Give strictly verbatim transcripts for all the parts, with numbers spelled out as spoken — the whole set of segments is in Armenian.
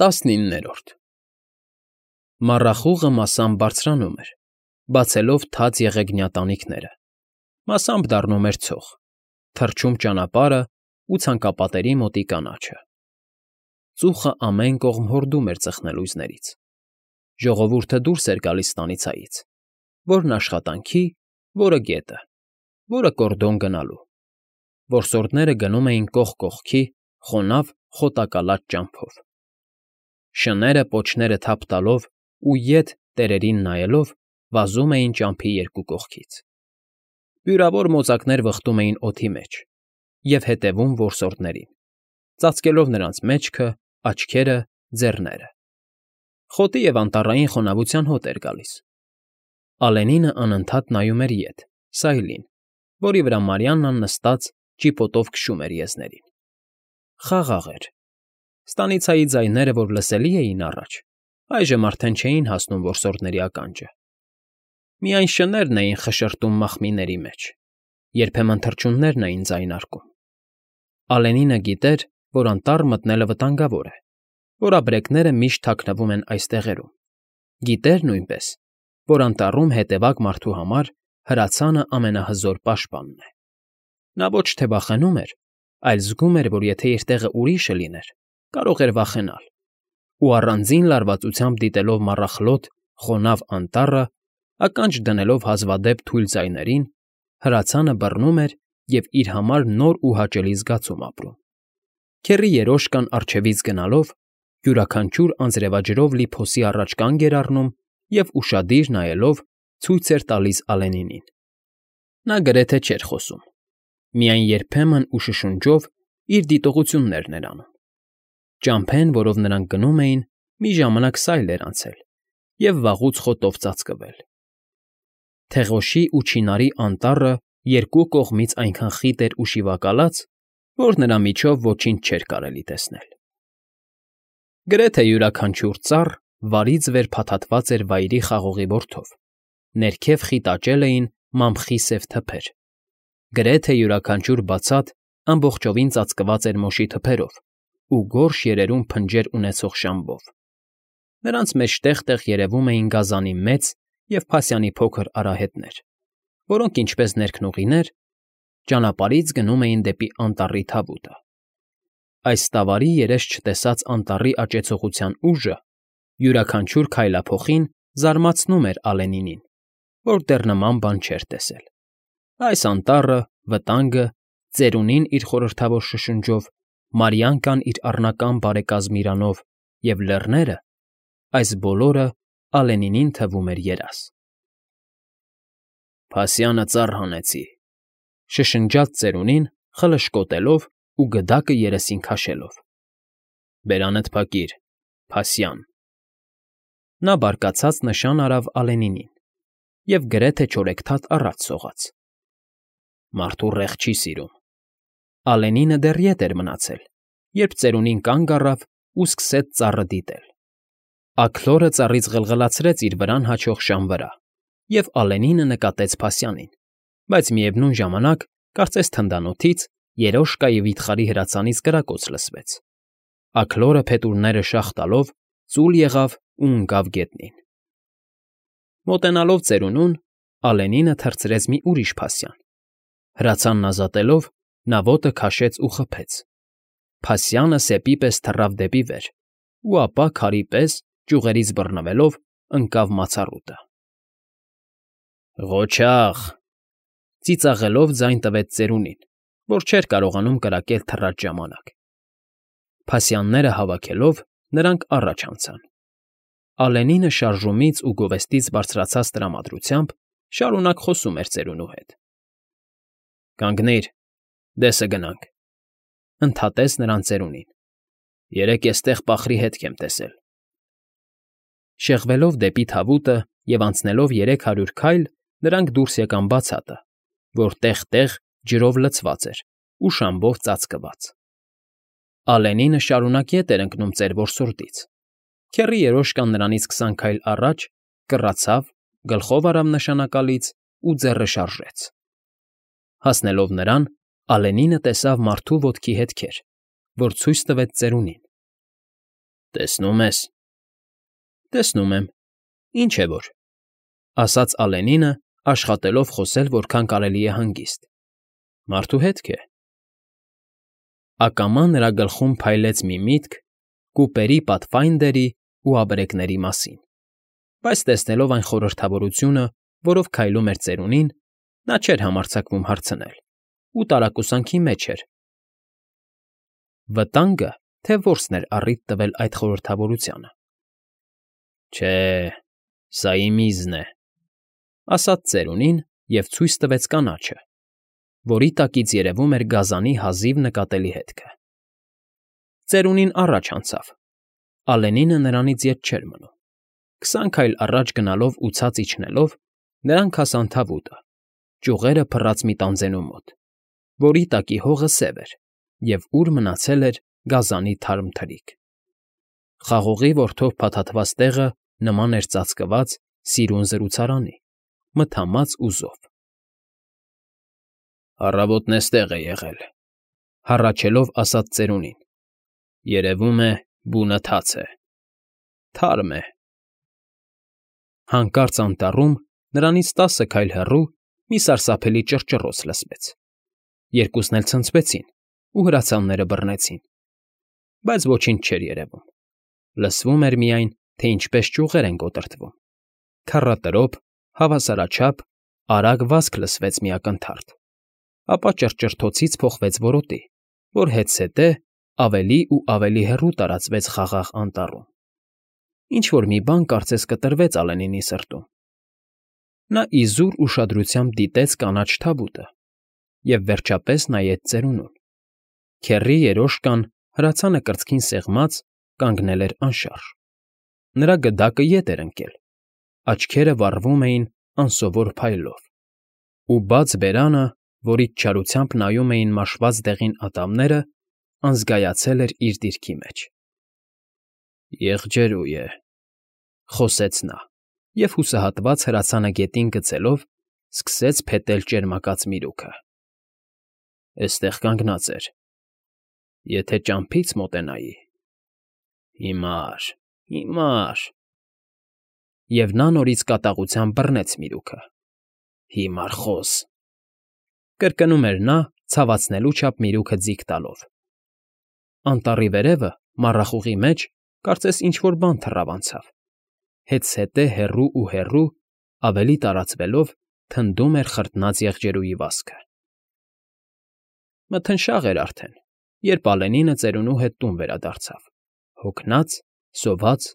Տասնիններորդ Մառախուղը մասամբ բարձրանում էր, բացելով թաց եղեգնյա տանիքները, մասամբ դառնում էր ցող, թռչում ճանապարհն ու ցանկապատերի մոտի կանաչը. ծուխը ամեն կողմ հորդում էր ծխնելույզներից, ժողովուրդը դուրս էր գալիս ստանիցայից, որն աշխատանքի, որը գետը, որը կորդոն գնալու, որսորդները գնում էին կողք կողքի խոնավ խոտակալած ճամփով, շները պոչները թափ տալով ու ետ տերերին նայելով վազում էին ճամփի երկու կողքից, բյուրավոր մոծակներ վխտում էին օդի մեջ և հետևում որսորդներին, ծածկելով նրանց մեջքը, աչքերը, ձեռները. խոտի և անտառային խոնավության հոտ էր գալիս. Ալենինը անընդհատ նայում էր ետ, սայլին, որի վրա Մարիաննան նստած ճիպոտով քշում էր եզներին. խաղաղ էր. ստանիցայի ձայները, որ լսելի էին առաջ, այժմ արդեն չէին հասնում որսորդների ականջը. միայն շներն էին խշշտում մախմիների մեջ, երբեմն թռչուններն էին ձայնարկում. Ալենինը գիտեր, որ անտառ մտնելը վտանգավոր է, որ ապրեկները միշտ թաքնվում են այս տեղերում, գիտեր նույնպես, որ անտառում հետևակ մարդու համար հրացանը ամենահզոր պաշտպանն է. նա ոչ թե վախենում էր, այլ զգում էր, որ եթե իր տեղը ուրիշը լիներ, կարող էր վախենալ, ու առանձին լարվածությամբ դիտելով մառախլոտ, խոնավ անտառը, ականջ դնելով հազվադեպ թույլ ձայներին, հրացանը բռնում էր և իր համար նոր ու հաճելի զգացում ապրում. քեռի երոշկան առջևից գնալով, յուրաքանչյուր անձրևաջրով լի փոսի առաջ կանգ էր առնում և ուշադիր նայելով ցույց էր տալիս Ալենինին. նա գրեթե չէր խոսում, միայն երբեմն ու շշունջով իր դիտողություններն էր անում. ճամփեն, որով նրանք գնում էին, մի ժամանակ սայլ էր անցել և վաղուց խոտով ծածկվել. թեղոշի ու չինարի անտառը երկու կողմից այնքան խիտ էր ու շիվակալած, որ նրա միջով ոչինչ չէր կարելի տեսնել. գրեթե յուրաքանչյուր ծառ վարից վեր փաթաթված էր վայրի խաղողի բորդով, ներքև խիտ աճել էին մամխի սև թփեր, գրեթե յուրաքանչյուր բացատ ամբողջովին ծածկված էր մոշի թփերով ու գորշ երերուն փնջեր ունեցող շամբով, նրանց մեջ տեղ֊տեղ երևում էին գազանի մեծ և փասյանի փոքր արահետներ, որոնք, ինչպես ներքնուղիներ, ճանապարհից գնում էին դեպի անտառի թավուտը. այս ստավարի երես չտեսած անտառի աճեցողության ուժը յուրաքանչյուր քայլափոխին զարմացնում էր Ալենինին, որ դեռ նման բան չէր տեսել. այս անտառը, վտանգը, ծերունին իր խորհրդավոր շշունջով, Մարիանկան իր առնական բարեկազմ իրանով և լեռները, այս բոլորը Ալենինին թվում էր երազ։ ֊ Փասյանը ծառ հանեցի,֊ շշնջաց ծերունին, խլշկոտելով ու գդակը երեսին քաշելով։֊ Բերանդ փակիր, Փասյան… Նա բարկացած նշան արավ Ալենինին և գրեթե չորեքթաթ առաջ սողաց. մարդու ռեղ չի սիրում։ Ալենինը դեռ ետ էր մնացել, երբ ծերունին կանգ առավ ու սկսեց ծառը դիտել. աքլորը ծառից ղլղլացրեց իր վրան հաչող շան վրա, և Ալենինը նկատեց Փասյանին, բայց միևնույն ժամանակ, կարծես թնդանոթից, երոշկայի վիթխարի հրացանից կրակոց լսվեց, աքլորը փետուրները շաղ տալով ծուլ եղավ ու ընկավ գետնին։ Մոտենալով ծերունուն, Ալենինը թռցրեց մի ուրիշ փասյան, հրացանն ազատելով, նա ոտը քաշեց ու խփեց, փասյանը սեպի պես թռավ դեպի վեր ու ապա, քարի պես, ճյուղերից բռնվելով, ընկավ մացառուտը։ «Ղոչաղ…֊ ծիծաղելով ձայն տվեց ծերունին, որ չէր կարողանում կրակել թռած ժամանակ։ Փասյանները հավաքելով՝ նրանք առաջ անցան։ Ալենինը շարժումից ու գովեստից բարձրացած տրամադրությամբ շարունակ խոսում էր ծերունու հետ։ «Կանգնիր, դեսը գնանք…֊ ընդհատեց նրան ծերունին։֊ Երեկ էստեղ պախրի հետք եմ տեսել»։ Շեղվելով դեպի թավուտը և անցնելով երեք հարյուր քայլ, նրանք դուրս եկան բացատը, որ տեղ֊տեղ ջրով լցված էր ու շամբով ծածկված։ Ալենինը շարունակ ետ էր ընկնում ծեր որսորդից, քեռի երոշկան նրանից քսան քայլ առաջ կռացավ, գլխով արավ նշանակալից ու ձեռը շարժեց։ Հասնելով նրան, Ալենինը տեսավ մարդու ոտքի հետքեր, որ ցույց տվեց ծերունին։ Տեսնում ես։ Տեսնում եմ, ինչ է որ, ասաց Ալենինը, աշխատելով խոսել որքան կարելի է հանգիստ։ Մարդու հետք է։ Ակամա նրա գլխում փայլեց մի միտք կուպերի պատֆայնդերի ու աբրեկների մասին, բայց տեսնելով այն խորհրդավորությունը, որով քայլում էր ծերունին, նա չէր համարձակվում հարցնել ու տարակուսանքի մեջ էր. վտանգը, թե որսն էր առիթ տվել այդ խորհրդավորությանը։ Չէ, սա իմ իզն է, ասաց ծերունին և ցույց տվեց կանաչը, որի տակից երևում էր գազանի հազիվ նկատելի հետքը։ Ծերունին առաջ անցավ, Ալենինը նրանից ետ չէր մնում։ Քսան քայլ առաջ գնալով ու ցած իջնելով՝ նրանք հասան թավուտը, ճյուղերը փռած մի տանձենու մոտ, որի տակի հողը սև էր և ուր մնացել էր գազանի թարմ թրիք։ Խաղողի որդով փաթաթված տեղը նման էր ծածկված սիրուն զրուցարանի, մթամած ու զով։ Առավոտն էստեղ է եղել, հառաչելով ասաց ծերունին. երևում է, բունը թաց է, թարմ է։ Հանկարծ անտառում, նրանից տասը քայլ հեռու, մի սարսափելի ճռճռոց լսվեց։ Երկուսն էլ ցնցվեցին ու հրացանները բռնեցին, բայց ոչինչ չէր երևում։ Լսվում էր միայն, թե ինչպես ճյուղեր են կոտրտվում։ Քառատրոփ, հավասարաչափ, արագ վազք լսվեց մի ակնթարթ, ապա ճռճռթոցից փոխվեց որոտի, որ հետզհետե ավելի ու ավելի հեռու տարածվեց խաղաղ անտառում։ Ինչ֊որ մի բան կարծես կտրվեց Ալենինի սրտում։ Նա իզուր ուշադրությամբ դիտեց կանաչ թավուտը և վերջապես նայեց ծերունուն։ Քեռի երոշկան, հրացանը կրծքին սեղմած, կանգնել էր անշարժ։ Նրա գդակը ետ էր ընկել, աչքերը վառվում էին անսովոր փայլով, ու բաց բերանը, որից չարությամբ նայում էին մաշված դեղին ատամները, անզգայացել էր իր դիրքի մեջ։ Եղջերու է, խոսեց նա և հուսահատված հրացանը գետին գցելով, սկսեց փետել ճերմակած միրուքը։ Էստեղ կանգնած էր, եթե ճամփից մոտենայի… Հիմար, հիմար… Եվ նա նորից կատաղությամբ բռնեց միրուքը։ Հիմար խոզ… կրկնում էր նա, ցավացնելու չափ միրուքը ձիգ տալով։ Անտառի վերևը, մառախուղի մեջ, կարծես ինչ֊որ բան թռավ անցավ, հետզհետե հեռու ու հեռու, ավելի տարածվելով, թնդում էր խրտնած եղջերուի վազքը։ Մթնշաղ էր արդեն, երբ Ալենինը ծերունու հետ տուն վերադարձավ, հոգնած, սոված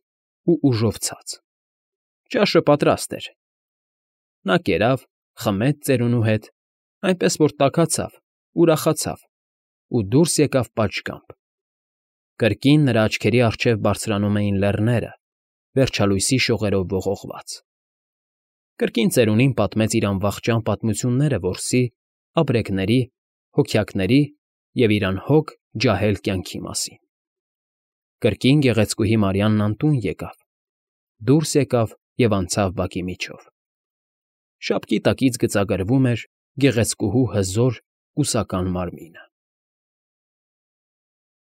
ու ուժով ցած։ Ճաշը պատրաստ էր։ Նա կերավ, խմեց ծերունու հետ, այնպես որ տաքացավ, ուրախացավ ու դուրս եկավ պատշգամբ։ Կրկին նրա աչքերի առջև բարձրանում էին լեռները, վերջալույսի շողերով ողողված։ Կրկին ծերունին պատմեց իր անվախճան պատմությունները որսի, ապրեկների, հոգյակների և իր անհոգ, ջահել կյանքի մասին։ Կրկին գեղեցկուհի Մարիանն անտուն եկավ, դուրս եկավ և անցավ բակի միջով։ Շապկի տակից գծագրվում էր գեղեցկուհու հզոր, կուսական մարմինը։